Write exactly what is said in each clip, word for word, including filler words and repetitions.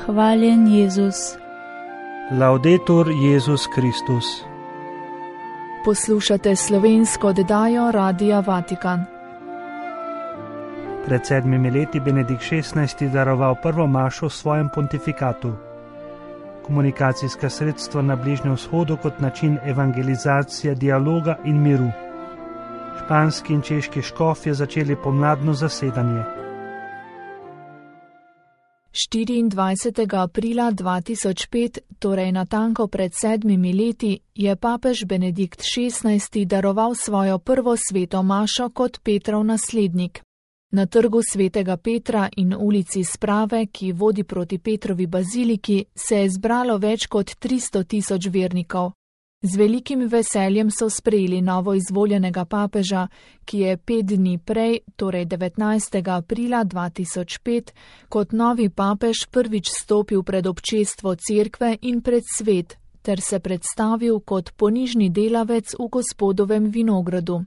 Hvaljen Jezus. Laudetur Jezus Kristus. Poslušate slovensko oddajo Radia Vatikan. Pred sedmimi leti Benedikt šestnajsti daroval prvo mašo v svojem pontifikatu. Komunikacijska sredstva na Bližnjem vzhodu kot način evangelizacije, dialoga in miru. Španski in češki škofje začeli pomladno zasedanje. štiriindvajsetega aprila dva tisoč pet, torej natanko pred sedmimi leti, je papež Benedikt šestnajsti daroval svojo prvo sveto mašo kot Petrov naslednik. Na trgu svetega Petra in ulici Sprave, ki vodi proti Petrovi baziliki, se je zbralo več kot tristo tisoč vernikov. Z velikim veseljem so sprejeli novo izvoljenega papeža, ki je pet dni prej, torej devetnajstega aprila dva tisoč pet, kot novi papež prvič stopil pred občestvo cerkve in pred svet, ter se predstavil kot ponižni delavec v Gospodovem vinogradu.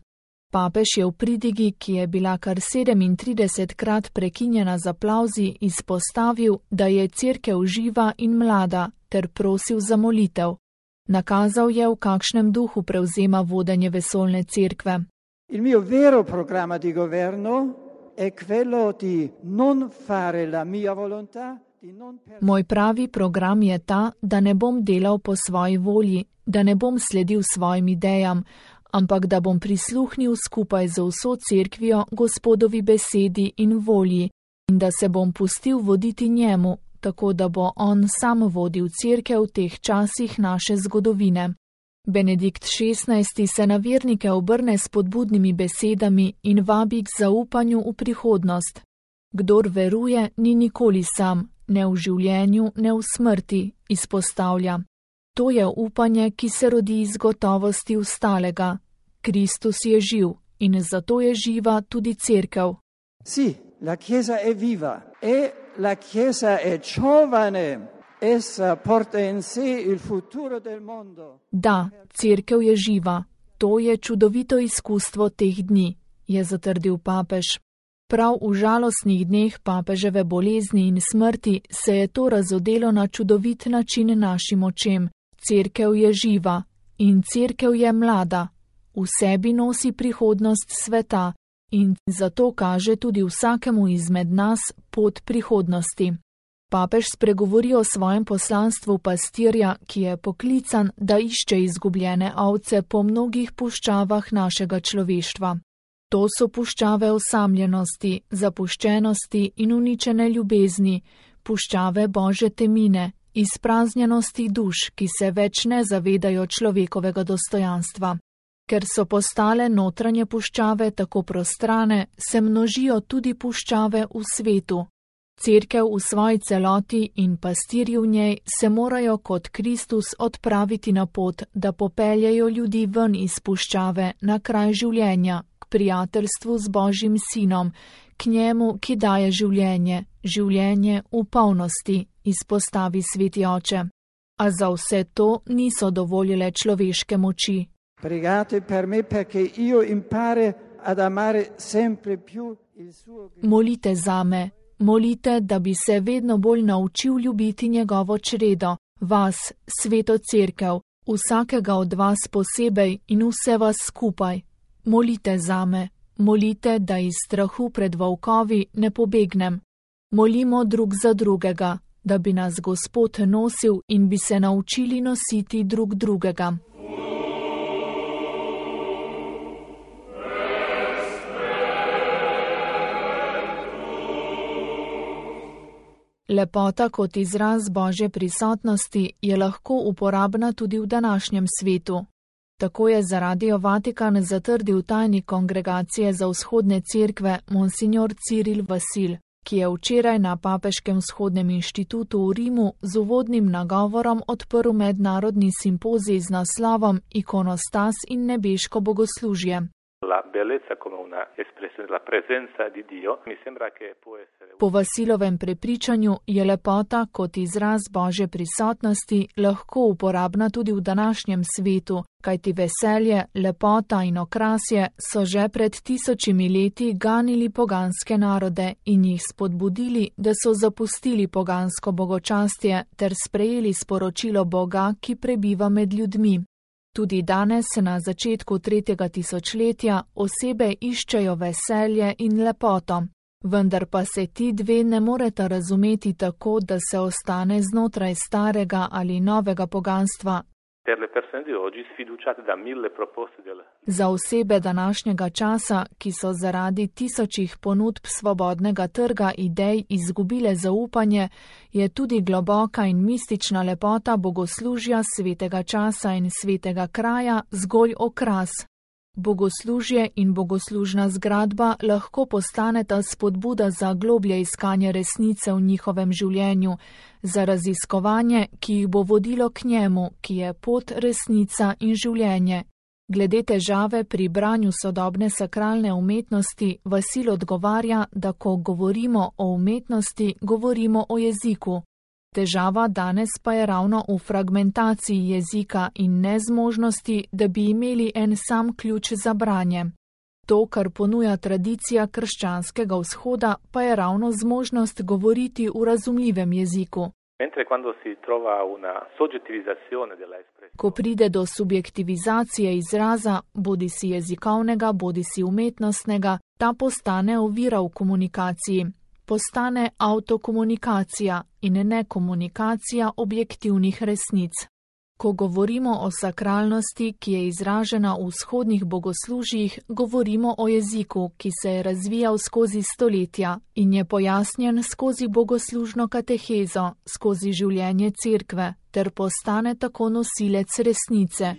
Papež je v pridigi, ki je bila kar sedemintridesetkrat prekinjena z aplavzi, izpostavil, da je cerkev živa in mlada, ter prosil za molitev. Nakazal je, v kakšnem duhu prevzema vodenje vesoljne cerkve. Il mio vero programma di governo è quello di non fare la mia volontà, di non per... Moj pravi program je ta, da ne bom delal po svoji volji, da ne bom sledil svojim idejam, ampak da bom prisluhnil skupaj z vso cerkvijo Gospodovi besedi in volji in da se bom pustil voditi njemu, tako da bo on sam vodil cerkev v teh časih naše zgodovine. Benedikt šestnajsti se na vernike obrne s spodbudnimi besedami in vabi k zaupanju v prihodnost. Kdor veruje, ni nikoli sam, ne v življenju, ne v smrti, izpostavlja. To je upanje, ki se rodi iz gotovosti vstalega. Kristus je živ in zato je živa tudi cerkev. Sì, la Chiesa è viva e la Chiesa è giovane, essa porta in sé il futuro del mondo. Da, cerkev je živa. To je čudovito izkustvo teh dni, je zatrdil papež. Prav v žalostnih dneh papeževe bolezni in smrti se je to razodelo na čudovit način našim očem. Cerkev je živa in cerkev je mlada. V sebi nosi prihodnost sveta in zato kaže tudi vsakemu izmed nas pot prihodnosti. Papež spregovori o svojem poslanstvu pastirja, ki je poklican, da išče izgubljene ovce po mnogih puščavah našega človeštva. To so puščave osamljenosti, zapuščenosti in uničene ljubezni, puščave Božje temine, izpraznjenosti duš, ki se več ne zavedajo človekovega dostojanstva. Ker so postale notranje puščave tako prostrane, se množijo tudi puščave v svetu. Cerkev v svoji celoti in pastirji v njej se morajo kot Kristus odpraviti na pot, da popeljejo ljudi ven iz puščave na kraj življenja, k prijateljstvu z Božjim sinom, k njemu, ki daje življenje, življenje v polnosti, izpostavi sveti oče. A za vse to niso dovoljile človeške moči. Pregate per me perché io impare ad amare sempre più il suo... Molite zame, molite, da bi se vedno bolj naučil ljubiti njegovo čredo, vas, sveto cerkev, vsakega od vas posebej in vse vas skupaj. Molite zame, molite, da iz strahu pred volkovi ne pobegnem. Molimo drug za drugega, da bi nas Gospod nosil in bi se naučili nositi drug drugega. Lepota kot izraz Božje prisotnosti je lahko uporabna tudi v današnjem svetu. Tako je za Radio Vatikan zatrdil tajnik Kongregacije za vzhodne cerkve monsignor Ciril Vasil, ki je včeraj na Papeškem vzhodnem inštitutu v Rimu z uvodnim nagovorom odprl mednarodni simpozij z naslovom Ikonostas in nebeško bogoslužje. Po Vasilovem prepričanju je lepota kot izraz Božje prisotnosti lahko uporabna tudi v današnjem svetu, kajti veselje, lepota in okrasje so že pred tisočimi leti ganili poganske narode in jih spodbudili, da so zapustili pogansko bogočastje ter sprejeli sporočilo Boga, ki prebiva med ljudmi. Tudi danes, na začetku tretjega tisočletja, osebe iščejo veselje in lepoto. Vendar pa se ti dve ne moreta razumeti tako, da se ostane znotraj starega ali novega poganstva. Za osebe današnjega časa, ki so zaradi tisočih ponudb svobodnega trga idej izgubile zaupanje, je tudi globoka in mistična lepota bogoslužja svetega časa in svetega kraja zgolj okras. Bogoslužje in bogoslužna zgradba lahko postaneta spodbuda za globlje iskanje resnice v njihovem življenju, za raziskovanje, ki jih bo vodilo k njemu, ki je pot, resnica in življenje. Glede težave pri branju sodobne sakralne umetnosti, Vasil odgovarja, da ko govorimo o umetnosti, govorimo o jeziku. Težava danes pa je ravno v fragmentaciji jezika in nezmožnosti, da bi imeli en sam ključ za branje. To, kar ponuja tradicija krščanskega vzhoda, pa je ravno zmožnost govoriti v razumljivem jeziku. Ko pride do subjektivizacije izraza, bodi si jezikovnega, bodi si umetnostnega, ta postane ovira v komunikaciji. Postane avtokomunikacija in ne komunikacija objektivnih resnic. Ko govorimo o sakralnosti, ki je izražena v vzhodnih bogoslužjih, govorimo o jeziku, ki se je razvijal skozi stoletja in je pojasnjen skozi bogoslužno katehezo, skozi življenje cerkve, ter postane tako nosilec resnice.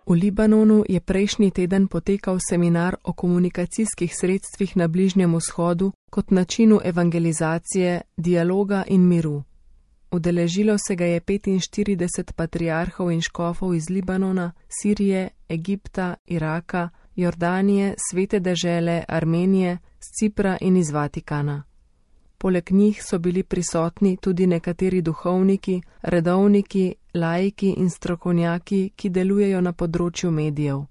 V Libanonu je prejšnji teden potekal seminar o komunikacijskih sredstvih na Bližnjem vzhodu kot načinu evangelizacije, dialoga in miru. Udeležilo se ga je petinštirideset patriarhov in škofov iz Libanona, Sirije, Egipta, Iraka, Jordanije, Svete dežele, Armenije, z Cipra in iz Vatikana. Poleg njih so bili prisotni tudi nekateri duhovniki, redovniki, laiki in strokovnjaki, ki delujejo na področju medijev.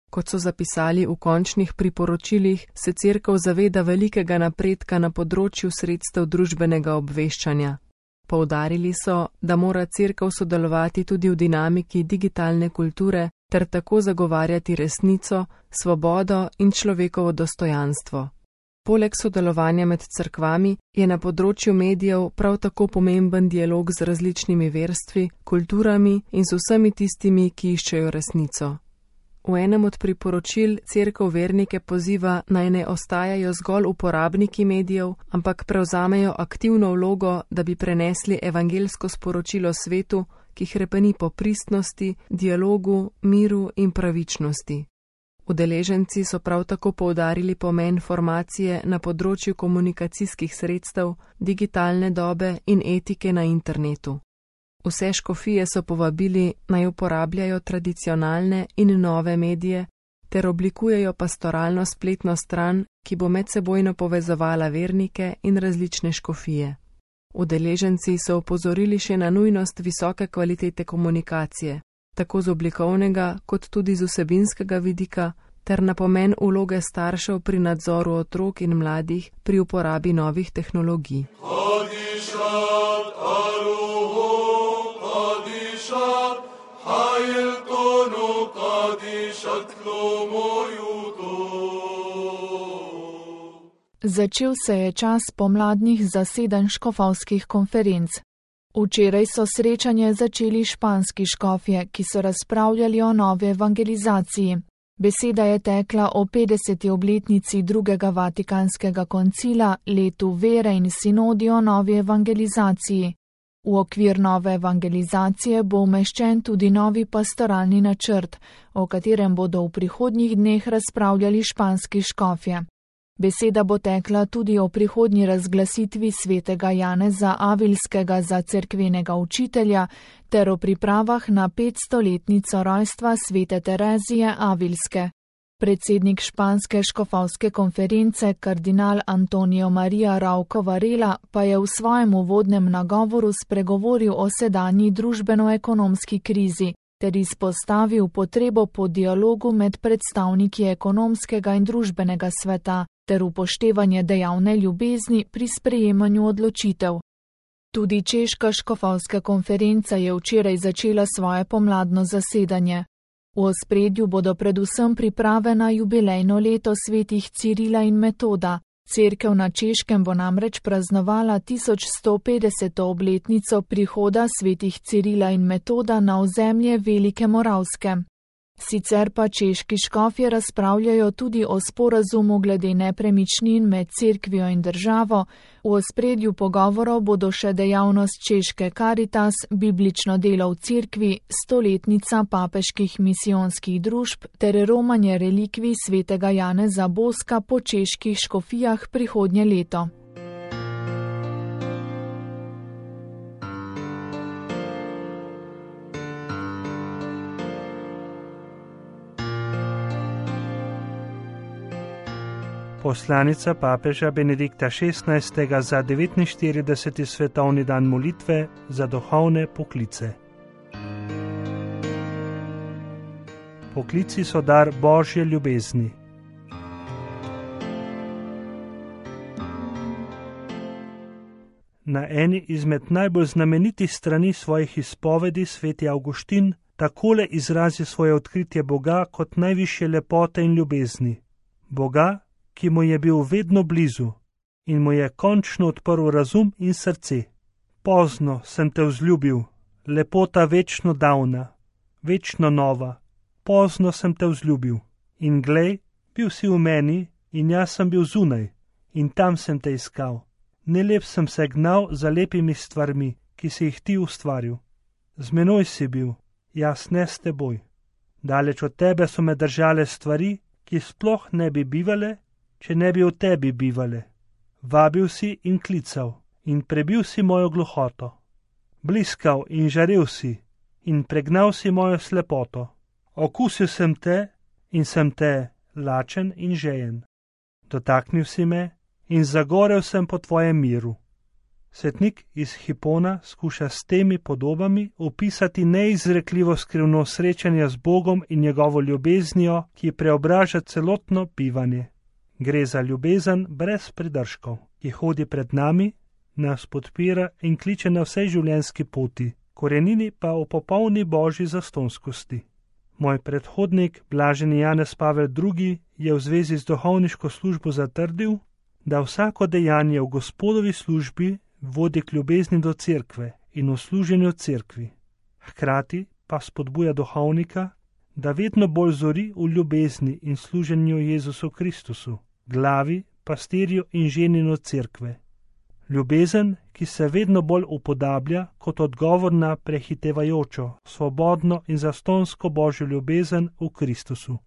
Kot so zapisali v končnih priporočilih, se Cerkev zaveda velikega napredka na področju sredstev družbenega obveščanja. Poudarili so, da mora Cerkev sodelovati tudi v dinamiki digitalne kulture ter tako zagovarjati resnico, svobodo in človekovo dostojanstvo. Poleg sodelovanja med cerkvami je na področju medijev prav tako pomemben dialog z različnimi verstvi, kulturami in z vsemi tistimi, ki iščejo resnico. V enem od priporočil Cerkev vernike poziva, naj ne ostajajo zgolj uporabniki medijev, ampak prevzamejo aktivno vlogo, da bi prenesli evangelsko sporočilo svetu, ki hrepeni po pristnosti, dialogu, miru in pravičnosti. Udeleženci so prav tako poudarili pomen formacije na področju komunikacijskih sredstev, digitalne dobe in etike na internetu. Vse škofije so povabili, naj uporabljajo tradicionalne in nove medije ter oblikujejo pastoralno spletno stran, ki bo medsebojno povezovala vernike in različne škofije. Udeleženci so opozorili še na nujnost visoke kvalitete komunikacije, tako z oblikovnega kot tudi z vsebinskega vidika, ter na pomen vloge staršev pri nadzoru otrok in mladih pri uporabi novih tehnologij. Začel se je čas pomladnih zasedanj škofovskih konferenc. Včeraj so srečanje začeli španski škofje, ki so razpravljali o novi evangelizaciji. Beseda je tekla o petdeseti obletnici drugega Vatikanskega koncila, letu vere in sinodi o novi evangelizaciji. V okvir nove evangelizacije bo umeščen tudi novi pastoralni načrt, o katerem bodo v prihodnjih dneh razpravljali španski škofje. Beseda bo tekla tudi o prihodnji razglasitvi svetega Janeza Avilskega za cerkvenega učitelja ter o pripravah na petstoletnico rojstva svete Terezije Avilske. Predsednik španske škofovske konference kardinal Antonio Maria Rauco Varela pa je v svojem uvodnem nagovoru spregovoril o sedanji družbeno-ekonomski krizi ter izpostavil potrebo po dialogu med predstavniki ekonomskega in družbenega sveta ter upoštevanje dejavne ljubezni pri sprejemanju odločitev. Tudi češka škofovska konferenca je včeraj začela svoje pomladno zasedanje. V ospredju bodo predvsem priprave na jubilejno leto svetih Cirila in Metoda. Cerkev na Češkem bo namreč praznovala tisoč sto petdeseto obletnico prihoda svetih Cirila in Metoda na ozemlje Velike Moravske. Sicer pa češki škofje razpravljajo tudi o sporazumu glede nepremičnin med cerkvijo in državo. V ospredju pogovorov bodo še dejavnost češke Caritas, biblično delo v cerkvi, stoletnica papeških misijonskih družb ter romanje relikvij svetega Janeza Boska po čeških škofijah prihodnje leto. Poslanica papeža Benedikta šestnajstega za devetinštirideseti svetovni dan molitve za duhovne poklice. Poklici so dar Božje ljubezni. Na eni izmed najbolj znamenitih strani svojih izpovedi sveti Avguštin takole izrazi svoje odkritje Boga kot najvišje lepote in ljubezni. Boga, ki mu je bil vedno blizu in mu je končno odprl razum in srce. Pozno sem te vzljubil, lepota večno davna, večno nova, pozno sem te vzljubil. In glej, bil si v meni in jaz sem bil zunaj in tam sem te iskal. Nelep sem se gnal za lepimi stvarmi, ki si jih ti ustvaril. Z menoj si bil, jaz ne s teboj. Daleč od tebe so me držale stvari, ki sploh ne bi bivale, če ne bi v tebi bivale. Vabil si in klical in prebil si mojo gluhoto. Bliskal in žarel si in pregnal si mojo slepoto. Okusil sem te in sem te lačen in žejen. Dotaknil si me in zagorel sem po tvojem miru. Svetnik iz Hipona skuša s temi podobami opisati neizrekljivo skrivno srečanje z Bogom in njegovo ljubeznijo, ki preobraža celotno bivanje. Gre za ljubezen brez pridržkov, ki hodi pred nami, nas podpira in kliče na vsej življenjski poti, korenini pa v popolni božji zastonskosti. Moj predhodnik, blaženi Janez Pavel drugi, je v zvezi z duhovniško službo zatrdil, da vsako dejanje v Gospodovi službi vodi k ljubezni do cerkve in v služenju cerkvi. Hkrati pa spodbuja duhovnika, da vedno bolj zori v ljubezni in služenju Jezusu Kristusu, glavi, pastirju in ženinu cerkve. Ljubezen, ki se vedno bolj upodablja kot odgovor na prehitevajočo, svobodno in zastonsko božjo ljubezen v Kristusu.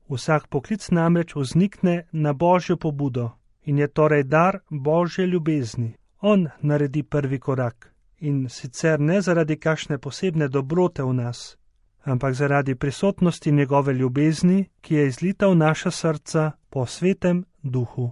Vsak poklic namreč vznikne na božjo pobudo in je torej dar božje ljubezni. On naredi prvi korak in sicer ne zaradi kakšne posebne dobrote v nas, ampak zaradi prisotnosti njegove ljubezni, ki je izlita v naša srca po svetem duhu.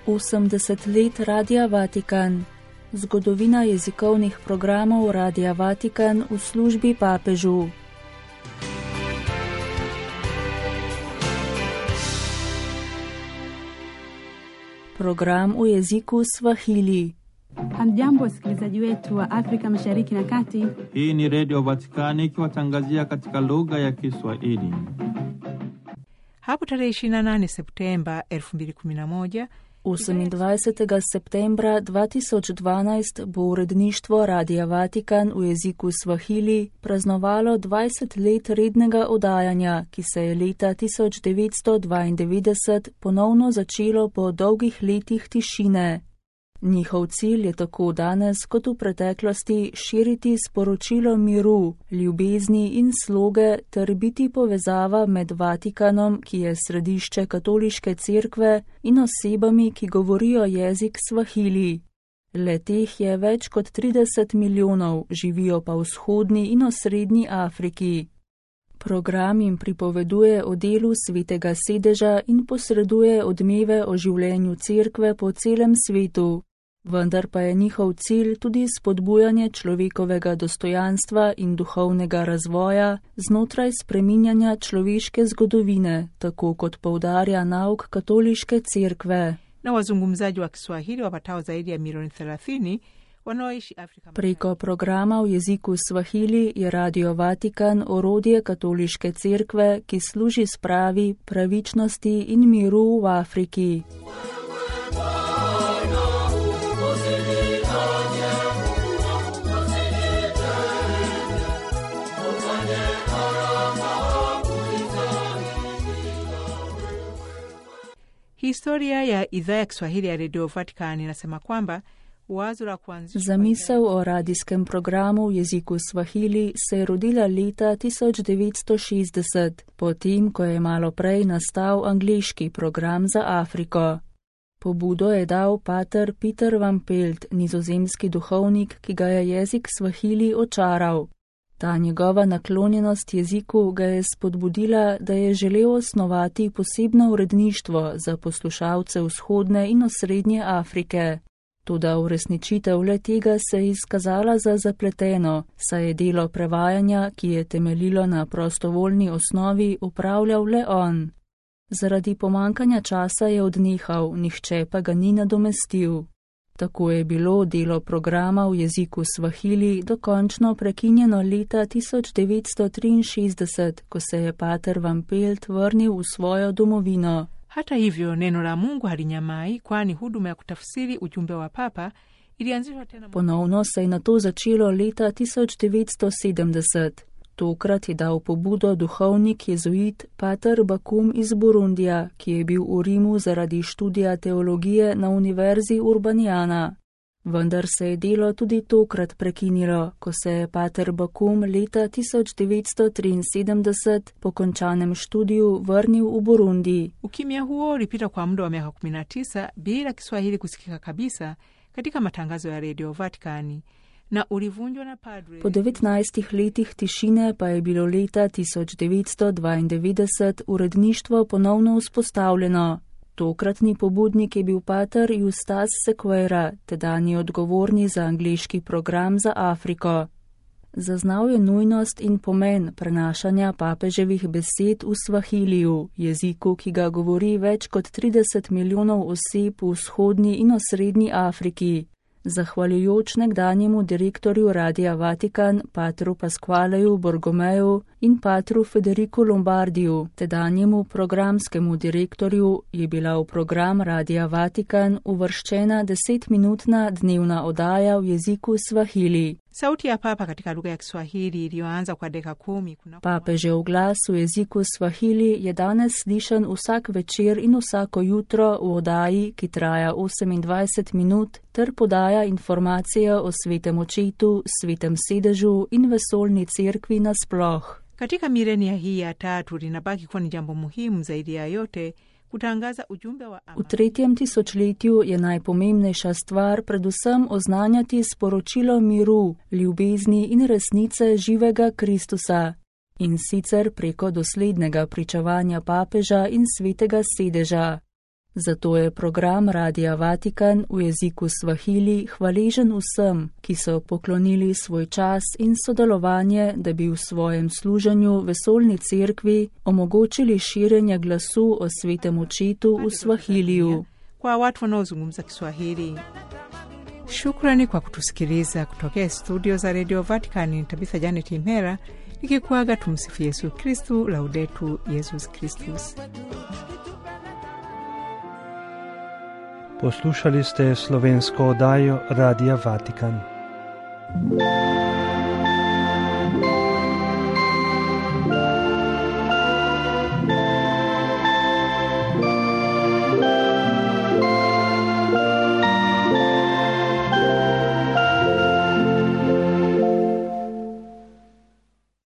osemdeset let Radia Vatikan. Zgodovina jezikovnih programov Radia Vatikan v službi papežu. Program u jeziku Swahili. Hamjambo wasikilizaji wetu wa Afrika Mashariki na Kati. Hii ni Radio Vatikani ikiwatangazia katika lugha ya Kiswahili. Hapo tarehe ishirini na nane Septemba elfu mbili kumi na moja osemindvajsetega septembra dva tisoč dvanajst bo uredništvo Radia Vatikan v jeziku Swahili praznovalo dvajset let rednega oddajanja, ki se je leta tisoč devetsto dvaindevetdeset ponovno začelo po dolgih letih tišine. Njihov cilj je tako danes kot v preteklosti širiti sporočilo miru, ljubezni in sloge ter biti povezava med Vatikanom, ki je središče katoliške cerkve, in osebami, ki govorijo jezik svahili. Le teh je več kot trideset milijonov, živijo pa v vzhodni in osrednji Afriki. Program jim pripoveduje o delu svetega sedeža in posreduje odmeve o življenju cerkve po celem svetu. Vendar pa je njihov cilj tudi spodbujanje človekovega dostojanstva in duhovnega razvoja znotraj spreminjanja človeške zgodovine, tako kot poudarja nauk katoliške cerkve. Na wazungumzaji wa Kiswahili wapatao zaidi ya milioni thelathini wanaoishi Afrika. Preko programa v jeziku Swahili je Radio Vatikan orodje katoliške cerkve, ki služi spravi, pravičnosti in miru v Afriki. Historia ya idhaa ya Kiswahili ya Radio Vatican inasema kwamba wazo la kuanzishwa Zamisel o radijskem programu v jeziku Swahili se je rodila leta tisoč devetsto šestdeset, potem, ko je malo prej nastal angleški program za Afriko. Pobudo je dal pater Peter van Pelt, nizozemski duhovnik, ki ga je jezik Swahili očaral. Ta njegova naklonjenost jeziku ga je spodbudila, da je želel osnovati posebno uredništvo za poslušalce vzhodne in osrednje Afrike. Toda uresničitev le tega se je izkazala za zapleteno, saj je delo prevajanja, ki je temeljilo na prostovoljni osnovi, upravljal le on. Zaradi pomankanja časa je odnehal, nihče pa ga ni nadomestil. Tako je bilo delo programa v jeziku Swahili dokončno prekinjeno leta tisoč devetsto triinšestdeset, ko se je pater van Pelt vrnil v svojo domovino. Hata hivyo neno la Mungu halinyamai, kwani huduma ya kutafsiri ujumbe wa papa ilianzishwa tena. Ponovno se je na to začelo leta tisoč devetsto sedemdeset. Tokrat je dal pobudo duhovnik jezuit pater Bakum iz Burundija, ki je bil v Rimu zaradi študija teologije na univerzi Urbaniana. Vendar se je delo tudi tokrat prekinilo, ko se je pater Bakum leta tisoč devetsto triinsedemdeset po končanem študiju vrnil v Burundi. Ukimya huo ulipita kwa muda wa miaka kumi na tisa bila Kiswahili kusikika kabisa katika matangazo ya Radio Vatikani. Na na padre... Po devetnajstih letih tišine pa je bilo leta tisoč devetsto dvaindevetdeset uredništvo ponovno vzpostavljeno. Tokratni pobudnik je bil pater Justas Sequeira, tedanji odgovorni za angleški program za Afriko. Zaznal je nujnost in pomen prenašanja papeževih besed v Swahiliju, jeziku, ki ga govori več kot trideset milijonov oseb v vzhodni in osrednji Afriki. Zahvaljujoč nekdanjemu direktorju Radia Vatikan, patru Pasqualeju Borgomeju in patru Federiku Lombardiju, tedanjemu programskemu direktorju, je bila v program Radia Vatikan uvrščena desetminutna dnevna oddaja v jeziku Swahili. Sauti ya papa katika lugha ya Kiswahili iliyoanza kwa dakika kumi kuna... Papežev glas v jeziku Swahili je danes slišan vsak večer in vsako jutro v oddaji, ki traja osemindvajset minut, ter podaja informacije o svetem očetu, svetem sedežu in vesoljni cerkvi nasploh. Katika milenia hii ya tatu linabaki kuwa ni jambo muhimu zaidi ya yote kutangaza ujumbe wa amani. V tretjem tisočletju je najpomembnejša stvar predvsem oznanjati sporočilo miru, ljubezni in resnice živega Kristusa, in sicer preko doslednega pričevanja papeža in svetega sedeža. Zato je program Radia Vatikan v jeziku Swahili hvaležen vsem, ki so poklonili svoj čas in sodelovanje, da bi v svojem služenju vesoljni cerkvi omogočili širjenje glasu o svetem očetu v Swahiliju. Kwa watu wanaozungumza Kiswahili. Shukrani kwa kutusikiliza kutokea studio za Radio Vatican. Tabitha Janet Imera nikikuaga. Tumsifu Yesu Kristu, laudetu Yesus Kristus. Poslušali ste slovensko oddajo Radia Vatikan.